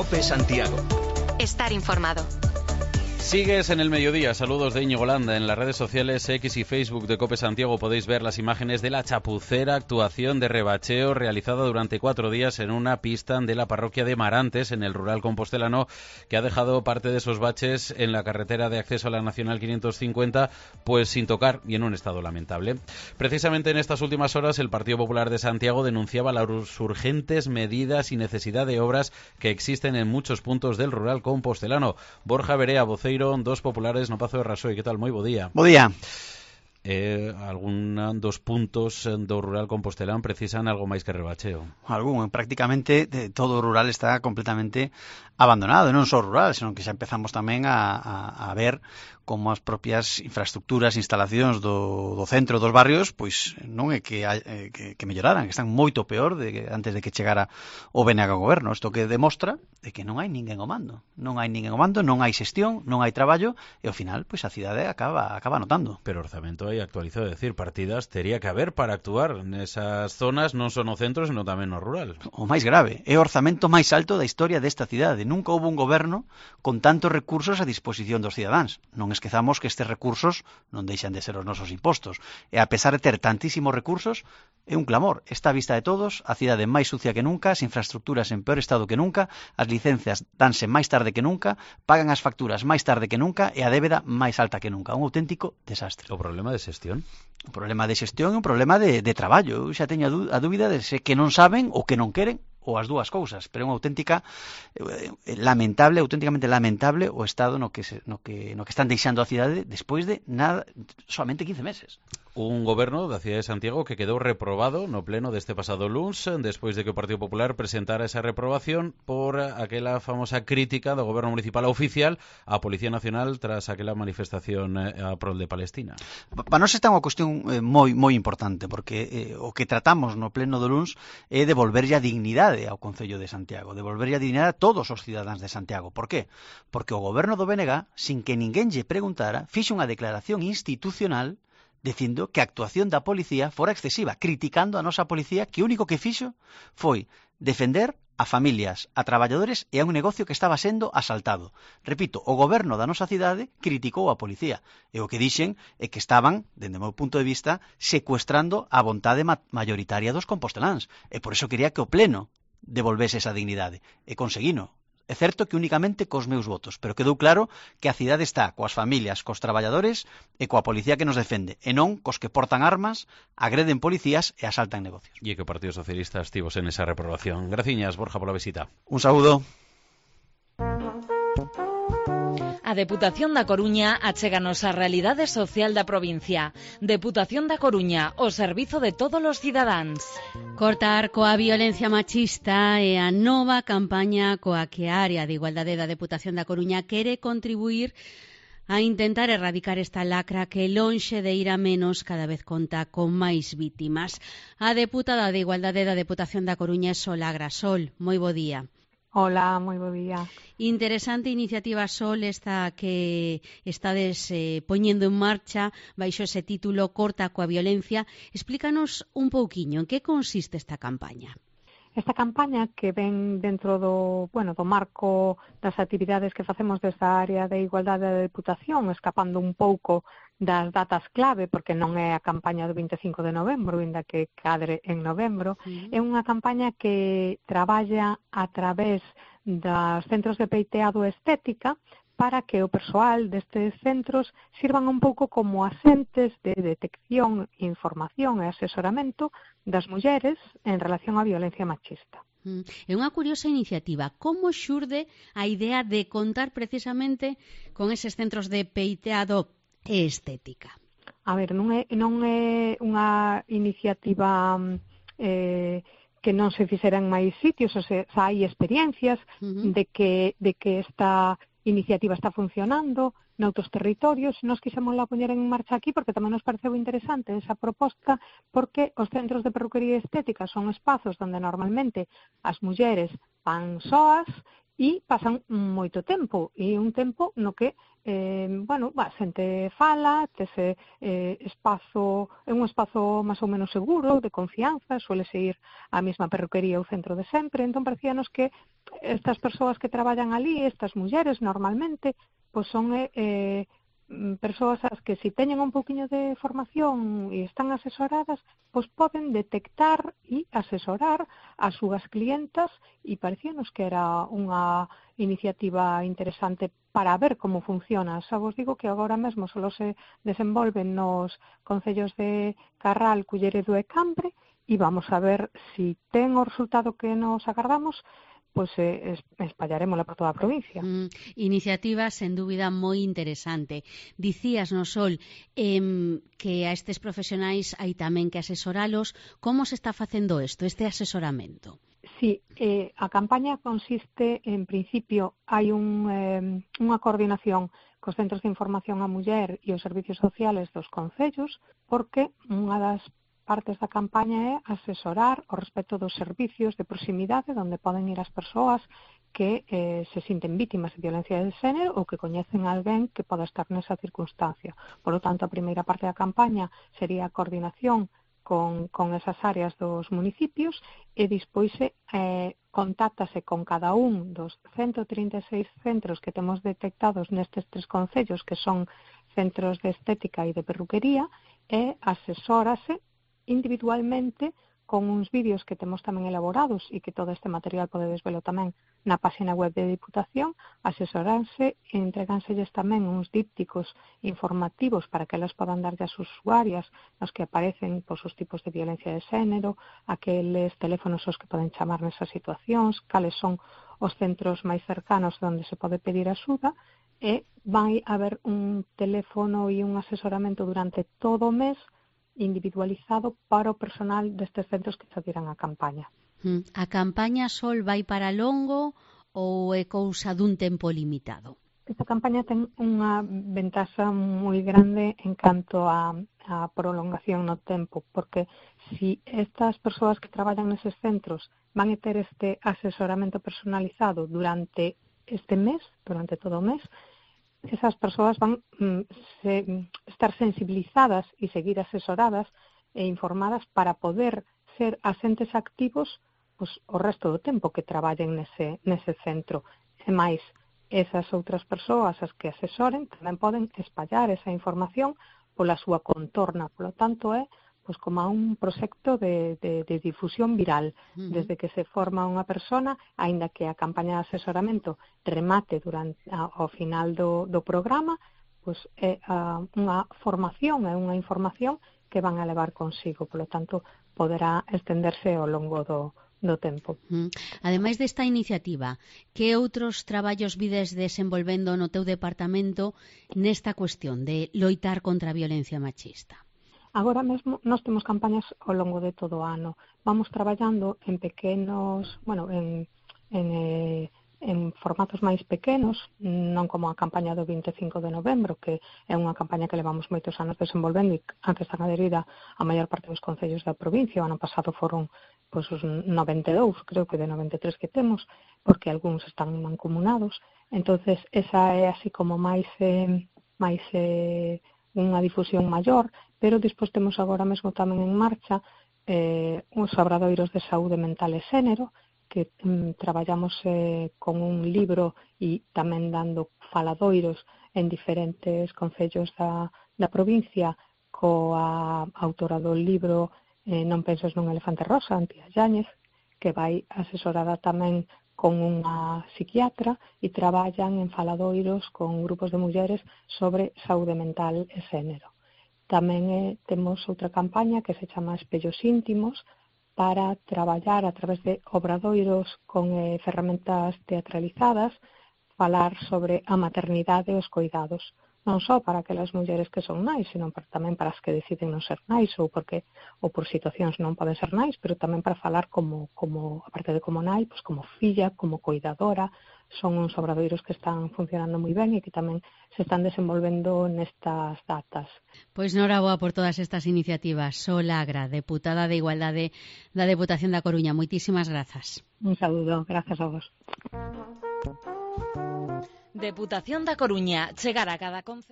COPE Santiago. Estar informado. Sigues en el mediodía. Saludos de Íñigo Landa. En las redes sociales X y Facebook de COPE Santiago podéis ver las imágenes de la chapucera actuación de rebacheo realizada durante 4 días en una pista de la parroquia de Marantes, en el rural compostelano, que ha dejado parte de esos baches en la carretera de acceso a la Nacional 550 pues sin tocar y en un estado lamentable. Precisamente en estas últimas horas el Partido Popular de Santiago denunciaba las urgentes medidas y necesidad de obras que existen en muchos puntos del rural compostelano. Borja Berea, vocero dos populares no Pazo de Rasoy. Que tal? Moi bo día. Bo día. Dos puntos do rural compostelán precisan algo máis que rebacheo. Prácticamente todo o rural está completamente abandonado, non só rural, senón que xa empezamos tamén a ver como as propias infraestructuras, instalacións do centro dos barrios, pois non é que melloraran, que están moito peor antes de que chegara o BNG ao goberno. Isto que demostra é que non hai ninguén ao mando. Non hai xestión, non hai traballo, e ao final, pois a cidade acaba notando. Pero orzamento hai actualizado, é dicir, partidas tería que haber para actuar nesas zonas, non só no centro, senón tamén no rural. O máis grave, é o orzamento máis alto da historia desta cidade. Nunca houve un goberno con tantos recursos a disposición dos cidadáns. Non esquezamos que estes recursos non deixan de ser os nosos impostos. E a pesar de ter tantísimos recursos, é un clamor. Está a vista de todos, a cidade máis sucia que nunca, as infraestructuras en peor estado que nunca, as licencias danse máis tarde que nunca, pagan as facturas máis tarde que nunca e a débeda máis alta que nunca. Un auténtico desastre. O problema de xestión? O problema de xestión é un problema de traballo. Eu xa teño a dúbida de se que non saben ou que non queren, ou as dúas cousas, pero é unha auténticamente lamentable o estado no que están deixando a cidade despois de nada, solamente 15 meses. Un goberno da cidade de Santiago que quedou reprobado no pleno deste pasado luns despois de que o Partido Popular presentara esa reprobación por aquela famosa crítica do goberno municipal oficial á Policía Nacional tras aquela manifestación a prol de Palestina. Para nós esta é unha cuestión moi importante, porque o que tratamos no pleno do luns é devolverlle a dignidade ao Concello de Santiago, devolverlle a dignidade a todos os cidadáns de Santiago. Por qué? Porque o goberno do BNG, sin que ninguén lle preguntara, fixo unha declaración institucional dicindo que a actuación da policía fora excesiva, criticando a nosa policía, que o único que fixo foi defender a familias, a traballadores e a un negocio que estaba sendo asaltado. Repito, o goberno da nosa cidade criticou a policía e o que dixen é que estaban, dende o meu punto de vista, secuestrando a vontade mayoritaria dos composteláns. E por iso quería que o pleno devolvese esa dignidade. E conseguino. É certo que únicamente cos meus votos, pero quedou claro que a cidade está coas familias, cos traballadores e coa policía que nos defende, e non cos que portan armas, agreden policías e asaltan negocios. E que o Partido Socialista estivos en esa reprobación. Graciñas, Borja, pola visita. Un saúdo. A Deputación da Coruña achéganos a realidade social da provincia. Deputación da Coruña, o servizo de todos os cidadáns. Cortar coa violencia machista é a nova campaña coa que a área de igualdade da Deputación da Coruña quere contribuir a intentar erradicar esta lacra que, lonxe de ir a menos, cada vez conta con máis vítimas. A deputada de Igualdade da Deputación da Coruña é Sol Agrasol. Moi bo día. Hola, moi bo día. Interesante iniciativa, Sol, esta que estades poñendo en marcha baixo ese título Corta coa violencia. Explícanos un pouquiño en que consiste esta campaña. Esta campaña que ven dentro do marco das actividades que facemos desta área de igualdade da Deputación, escapando un pouco das datas clave, porque non é a campaña do 25 de novembro, ainda que cadre en novembro, é unha campaña que traballa a través dos centros de peiteado estética para que o persoal destes centros sirvan un pouco como asentes de detección, información e asesoramento das mulleres en relación á violencia machista. É unha curiosa iniciativa. Como xurde a idea de contar precisamente con eses centros de peiteado e estética? A ver, non é unha iniciativa que non se fixera en máis sitios, ou sea, hai experiencias de que esta iniciativa está funcionando noutros territorios. Nos quixemos la poñer en marcha aquí porque tamén nos pareceu interesante esa proposta, porque os centros de perruquería estética son espazos onde normalmente as mulleres van soas e pasan moito tempo, e un tempo no que xente fala, tese espazo, é un espazo máis ou menos seguro, de confianza, suele ir á mesma perruquería ou centro de sempre, entón parecíanos que estas persoas que traballan ali, estas mulleres normalmente, pois son persoas as que se teñen un pouquiño de formación e están asesoradas, pois poden detectar e asesorar as súas clientas, e parecíanos que era unha iniciativa interesante para ver como funciona. Xa vos digo que agora mesmo só se desenvolven nos concellos de Carral, Culleredo e Cambre, e vamos a ver se ten o resultado que nos agardamos, pois espallaremosla por toda a provincia. Iniciativa, sen dúbida, moi interesante. Dicías, no Sol, que a estes profesionais hai tamén que asesoralos. Como se está facendo isto, este asesoramento? Sí, a campaña consiste, en principio, hai unha coordinación cos centros de información á muller e os servicios sociales dos concellos, porque unha das partes da campaña é asesorar o respecto dos servicios de proximidade onde poden ir as persoas que se sinten vítimas de violencia de xénero ou que coñecen a alguén que poda estar nesa circunstancia. Por lo tanto, a primeira parte da campaña sería a coordinación con esas áreas dos municipios e despois contáctase con cada un dos 136 centros que temos detectados nestes 3 concellos, que son centros de estética e de perruquería, e asesórase individualmente con uns vídeos que temos tamén elaborados e que todo este material podedes velo tamén na página web de Diputación. Asesoranse e entregánselles tamén uns dípticos informativos para que elas podan darlle ás usuarias nos que aparecen os tipos de violencia de xénero, aqueles teléfonos aos que poden chamar nesas situacións, cales son os centros máis cercanos onde se pode pedir axuda, e vai haber un teléfono e un asesoramento durante todo o mes individualizado para o personal destes centros que adhiran á campaña. A campaña, Sol, vai para longo ou é cousa dun tempo limitado? Esta campaña ten unha ventaxa moi grande en canto a prolongación no tempo, porque si estas persoas que traballan neses centros van a ter este asesoramento personalizado durante este mes, durante todo o mes, esas persoas van estar sensibilizadas e seguir asesoradas e informadas para poder ser asentes activos pois, o resto do tempo que traballen nese centro. E máis, esas outras persoas as que asesoren tamén poden espallar esa información pola súa contorna. Polo tanto, é pois como un proxecto de difusión viral. Desde que se forma unha persona, aínda que a campaña de asesoramento remate ao final do programa, pois é unha formación, é unha información que van a levar consigo. Polo tanto, poderá estenderse ao longo do tempo. Ademais desta iniciativa, que outros traballos vides desenvolvendo no teu departamento nesta cuestión de loitar contra a violencia machista? Agora mesmo nós temos campañas ao longo de todo o ano. Vamos traballando en pequenos, en formatos máis pequenos, non como a campaña do 25 de novembro, que é unha campaña que levamos moitos anos desenvolvendo e a que están adherida a maior parte dos concellos da provincia. O ano pasado foron os 92, creo que de 93 que temos, porque algúns están mancomunados. Entonces, esa é así como máis unha difusión maior, pero despois temos agora mesmo tamén en marcha os obradoiros de saúde mental e xénero, que traballamos con un libro e tamén dando faladoiros en diferentes concellos da provincia, coa autora do libro Non penses nun elefante rosa, Antía Yáñez, que vai asesorada tamén con unha psiquiatra e traballan en faladoiros con grupos de mulleres sobre saúde mental e xénero. Tamén temos outra campaña que se chama Espellos íntimos para traballar a través de obradoiros con ferramentas teatralizadas, falar sobre a maternidade e os coidados. Non só para aquelas mulleres que son nais, sino tamén para as que deciden non ser nais ou por situacións non poden ser nais, pero tamén para falar como aparte de como nai, pois como filla, como coidadora. Son uns obradoiros que están funcionando moi ben e que tamén se están desenvolvendo nestas datas. Pois noraboa por todas estas iniciativas. Sol Agra, deputada de Igualdade da Deputación da Coruña. Moitísimas grazas. Un saúdo, grazas a vos. Deputación da Coruña, chegar a cada concello.